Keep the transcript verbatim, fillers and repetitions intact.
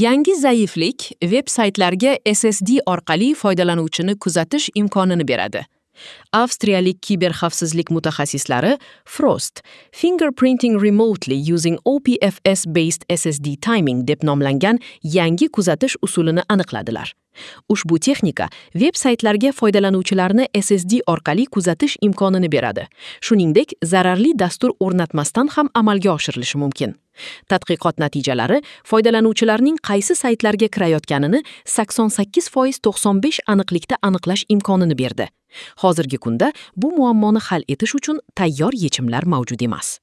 Yangi zaiflik veb-saytlarga S S D orqali foydalanuvchini kuzatish imkonini beradi. Avstriyalik kiberxavfsizlik mutaxassislari FROST, Fingerprinting Remotely Using O P F S Based S S D Timing deb nomlangan yangi kuzatish usulini aniqladilar. Ushbu texnika veb-saytlarga foydalanuvchilarni S S D orqali kuzatish imkonini beradi. Shuningdek, zararli dastur o'rnatmasdan ham amalga oshirilishi mumkin. Tadqiqot natijalari foydalanuvchilarning qaysi saytlarga kirayotganini sakson sakkiz foiz to'qson besh aniqlikda aniqlash imkonini berdi. Hozirgi kunda bu muammoni hal etish uchun tayyor yechimlar mavjud emas.